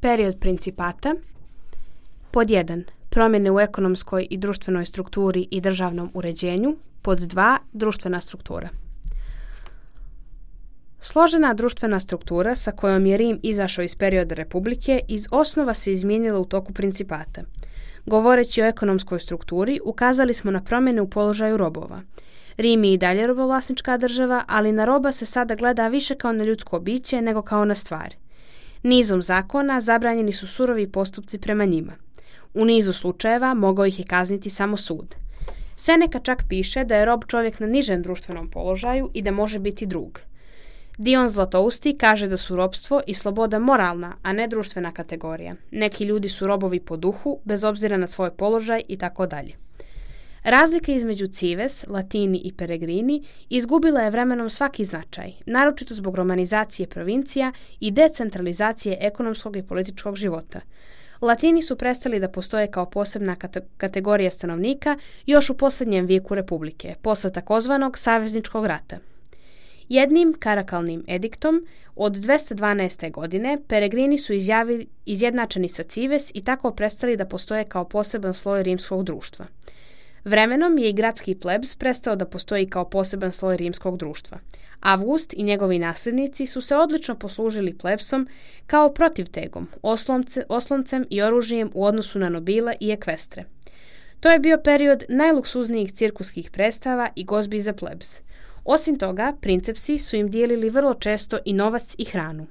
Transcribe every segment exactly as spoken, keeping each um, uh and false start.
Period principata. Pod jedan. Promjene u ekonomskoj i društvenoj strukturi i državnom uređenju. Pod dva. Društvena struktura. Složena društvena struktura sa kojom je Rim izašao iz perioda republike iz osnova se izmijenila u toku principata. Govoreći o ekonomskoj strukturi, ukazali smo na promjene u položaju robova. Rim je i dalje robovlasnička država, ali na roba se sada gleda više kao na ljudsko biće nego kao na stvar. Nizom zakona zabranjeni su surovi postupci prema njima. U nizu slučajeva mogao ih je kazniti samo sud. Seneca čak piše da je rob čovjek na nižem društvenom položaju i da može biti drug. Dion Zlatousti kaže da su robstvo i sloboda moralna, a ne društvena kategorija. Neki ljudi su robovi po duhu, bez obzira na svoj položaj i tako dalje. Razlika između cives, latini i peregrini izgubila je vremenom svaki značaj, naročito zbog romanizacije provincija i decentralizacije ekonomskog i političkog života. Latini su prestali da postoje kao posebna kate- kategorija stanovnika još u posljednjem vijeku republike, posle takozvanog savezničkog rata. Jednim karakalnim ediktom od dvesta dvanaeste. godine peregrini su izjavi, izjednačeni sa cives i tako prestali da postoje kao poseban sloj rimskog društva. Vremenom je i gradski plebs prestao da postoji kao poseban sloj rimskog društva. Avgust i njegovi nasljednici su se odlično poslužili plebsom kao protivtegom, oslonce, osloncem i oružjem u odnosu na nobile i ekvestre. To je bio period najluksuznijih cirkuskih predstava i gozbi za plebs. Osim toga, princepsi su im dijelili vrlo često i novac i hranu.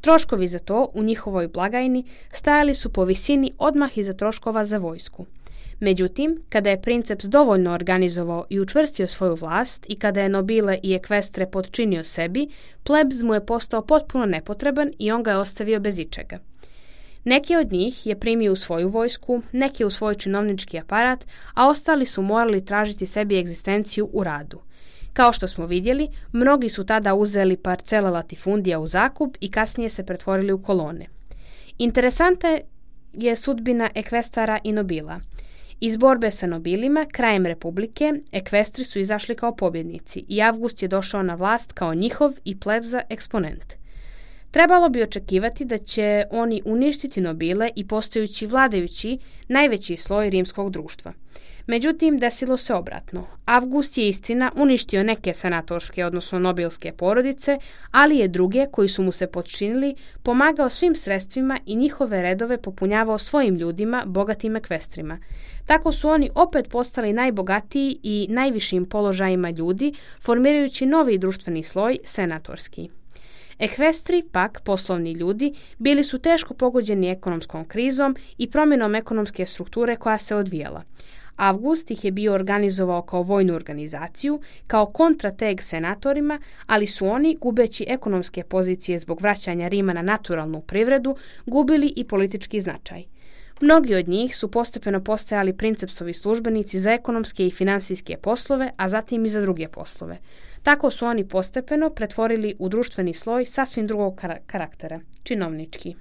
Troškovi za to u njihovoj blagajni stajali su po visini odmah iza troškova za vojsku. Međutim, kada je princeps dovoljno organizovao i učvrstio svoju vlast i kada je nobile i ekvestre potčinio sebi, plebs mu je postao potpuno nepotreban i on ga je ostavio bez ičega. Neki od njih je primio u svoju vojsku, neki u svoj činovnički aparat, a ostali su morali tražiti sebi egzistenciju u radu. Kao što smo vidjeli, mnogi su tada uzeli parcele latifundija u zakup i kasnije se pretvorili u kolone. Interesantna je sudbina ekvestara i nobila. Iz borbe sa nobilima, krajem republike, ekvestri su izašli kao pobjednici i Avgust je došao na vlast kao njihov i plebza eksponent. Trebalo bi očekivati da će oni uništiti nobile i postajući vladajući najveći sloj rimskog društva. Međutim, desilo se obratno. Avgust je istina uništio neke senatorske, odnosno nobilske porodice, ali je druge, koji su mu se potčinili, pomagao svim sredstvima i njihove redove popunjavao svojim ljudima, bogatim ekvestrima. Tako su oni opet postali najbogatiji i najvišim položajima ljudi, formirajući novi društveni sloj, senatorski. Ekvestri, pak poslovni ljudi, bili su teško pogođeni ekonomskom krizom i promjenom ekonomske strukture koja se odvijala. Avgust ih je bio organizovao kao vojnu organizaciju, kao kontrateg senatorima, ali su oni, gubeći ekonomske pozicije zbog vraćanja Rima na naturalnu privredu, gubili i politički značaj. Mnogi od njih su postepeno postajali princepsovi službenici za ekonomske i finansijske poslove, a zatim i za druge poslove. Tako su oni postepeno pretvorili u društveni sloj sasvim drugog kar- karaktera, činovnički.